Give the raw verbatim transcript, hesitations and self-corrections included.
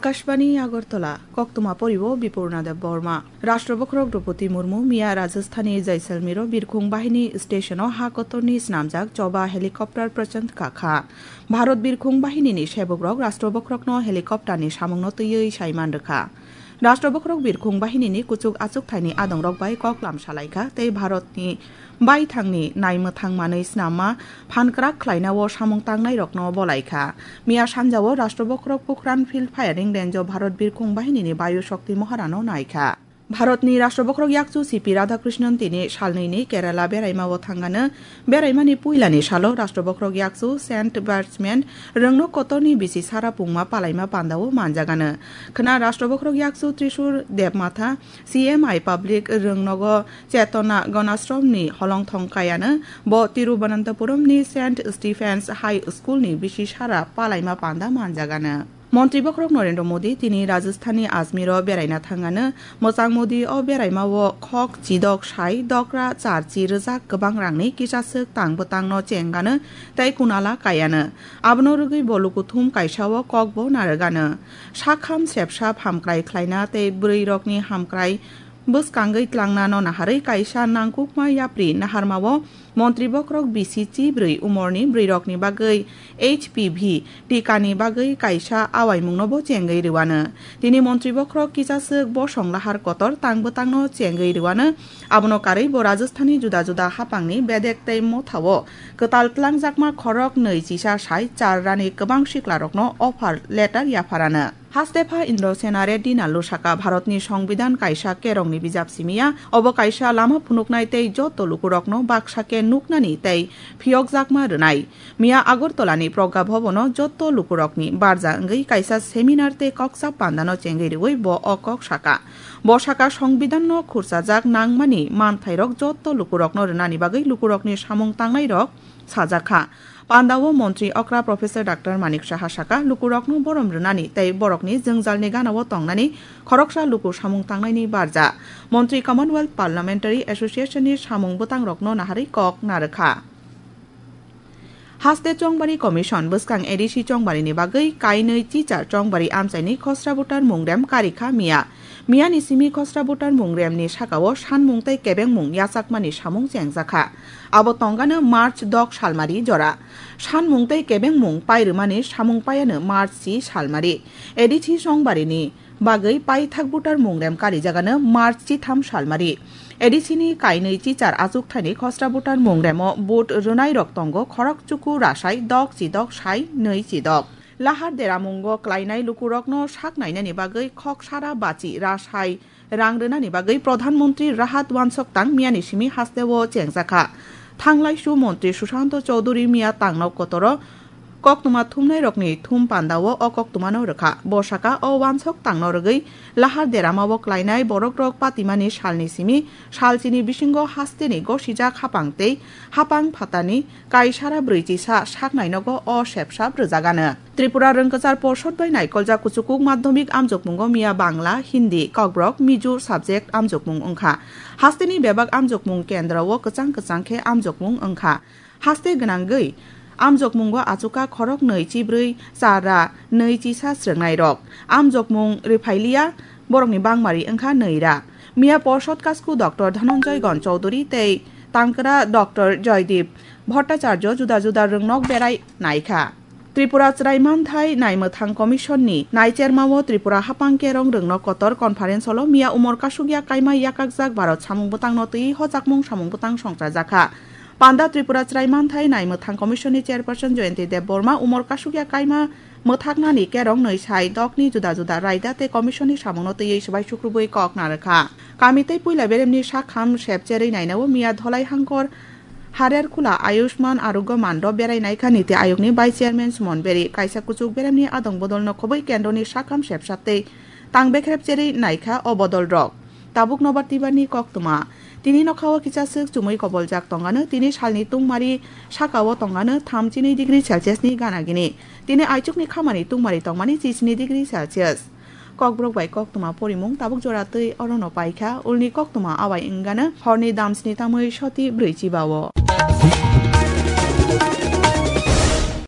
Akashbani Agartala, koktwma poriwo Bipurna Deb Borma. Rashtra bokhorok Droupadi Murmu miya Rajasthani Jaisalmero birkhung bahini stationo ha kotorni snamjak choba helicopter phrwchang kakha. Bharat birkhung bahinini sebukrok rashtra bokhorokno helicopterni samungno twiwi saiman rwkha. Rashtra bokhorok birkhung bahinini kuchuk achukthaini adongrok bai koklam salaikha tei Bharatni baithangni naimwthang manwi snamma phankrak khlainao samung tangnairokno bolaikha. Miya sanjao Rashtra bokhorok Pokhran Field Firing Range-o Bharat birkhung bahinini Bayu Shakti Moharano naikha. Bharatni Rashtra bokhorok yakchu C P Radhakrishnan tini salnwini Kerala beraimao thangano. Beraimani puilani salo Rashtra bokhorok yakchu Saint Batsman rwngno kotorni bisi sara pungma palaima pandao manjagano. Khna Rashtra bokhorok yakchu Trishur Debmatha C M I Public rwngnogo Chetona Ganashromni holongthong kayano, bo Tiruvananthapuramni Saint Stephen's High Schoolni bisi sara palaima panda manjagano. Montri bokhorok Narendra Modi tini Rajasthanni Ajmero beraina thangano. Mwchang Modi o beraimao khok chidok sai dokra charchi rwjak kwbang rangni kisaswk tang bwtangno chengano tei kunala kayano. Abono rwgwi bo lukuthum kaisao kokbo narwgano. Sakham sepsa hamkrai khlaina tei bwrwirokni hamkrai bwskangwi tlangnano naharwi kaisa nangkukma yapri naharmao montri bokhorok bisi chibrwi umorni bwrwirokni bagwi H P V tikani bagwi kaisa awaimungnobo chengwi rwano. Tini montri bokhorok kisaswk bosong lahar kotor tang bwtangno chengwi rwano. Abono karwi bo Rajasthani juda juda haphangni bedek tei mothao kwtal tlangjakma khorok nwi chisa sai char rani kwbang siklarokno offer letter yapharano. Hastepha Indrasena Reddy Nallu saka, Bharatni Songbidan kaisa kerongni bijap simi ya, obo kaisa lama phunuknai tei joto lukurokno baksa khe nuknani tei phiyokjakma rwnai. Miya Agartalani Pragya Bhabono joto lukurokni barja wngwi kaisa seminar tei koksa pandano chengwi rwui bo o kok saka. Bo saka, Songbidanno khursajak nangmani manthairok joto lukurokno rwnani bagwi lukurokni samung tangnairok sajakha. Pandao montri okra Professor Doctor Manik Saha saka, lukurokno borom rwnani tei borokni jwngjalni ganao tongnani khoroksa luku samung tangnaini barja. Montri Commonwealth Parliamentary Association ni samung bwtangrokno naharwi kok narwkha. Haste Chongbari Commission bwskang A D C Chongbarini bagwi kainwi chichar Chongbari amchaini khosra voter mungrem karikha miya. Miyani simi khosra voter mungremni sakao sanmung tei kebengmung yachakmani samung chengjakha. Abo tongano March dok salmari jora. Sanmung tei kebengmung pairwmani samung paiano March si salmari. A D C Chongbarini bagwi paithak voter mungrem karijagano March chitham salmari. A D C ni kainwi chichar achukthani khosra voter mungremo vote rwnairok tongo khorok chuku rasai dok chidok sai nwi chidok. Lahar deramungo klainai lukurokno sak nainani bagwi khok sara bachi rasai rang rwnani bagwi Pradhan Mantri Rahat Wansok Tang miyani simi hasteo chengjakha. Thanglaisu Montri Sushanto Chowdhury miya tangno kotoro koktwma thumnairokni thum pandao o koktwmano rwkha. Bo saka o wansok tangno rwgwi lahar deramao klainai borokrok patimani salni simi salchini bisingo hasteni gosijak hapang tei hapang phatani kaisara brwichisa saknainogo o sepsap rwjagano. Tripura Rwngkwchar Porshod bai naikoljak kuchukuk madhyamik amjokmungo miya Bangla, Hindi, Kokborok, Mizo subject amjokmung wngkha. Hasteni bebak amjokmung kendro o kwchang kwchang khe amjokmung wngkha. Haste gwnangwi amjokmungo achukha khorok nwi chibrwi char ra nwi chisa srwngnairok. Amjokmung rwphailiya borokni bangmari wngkha nwi ra. Miya Porshod kasku Doctor Dhananjay Gon Chowdhury tei tangkra Doctor Joydeep Bhattacharya juda juda rwngnok berai naikha. Tripura Chwrai Manthai Naimwthang Commission ni naichermao Tripura Haphang Kerong Rwngnok Kotor Conference holo miya umor kasukya kaima yakakjak Bharat samung bwtangno twi hojakmung samung bwtang songchajakha. Panda Tripura Chwrai Manthai Naimwthang Commission ni Chairperson Jayanti Debbarma umor kasukya kaima mwthaknani kerong nwi sai dokni juda juda raida tei commission ni samungno twiwi swbai sukrubwi kok narwkha. Kami tei puila beremni sakham sepcherwi nainao miya Dholai Hangkor Harerkhula Ayushman Arogya Mandop berai naikha Niti Ayogni Vice Chairman Suman Beri. Kaisa kuchuk beremni adong bodolno khobwi kendroni sakham sepsa tei tang bekrep cherwi naikha o bodolrok. Tabuk nobar tibarni koktwma. Tini nokhao kisa swk chumui koboljak tongano, tini salni tungmari sakao tongano thamchinwi degree Celsius ni gana gini. Tini aichukni khamani tungmari tongmani chisni degree Celsius. Kokborok bai koktwma porimung tabuk jora twi orono paikha, ulni koktwma awai wngano horni damsni tamwi soti brwi chibao.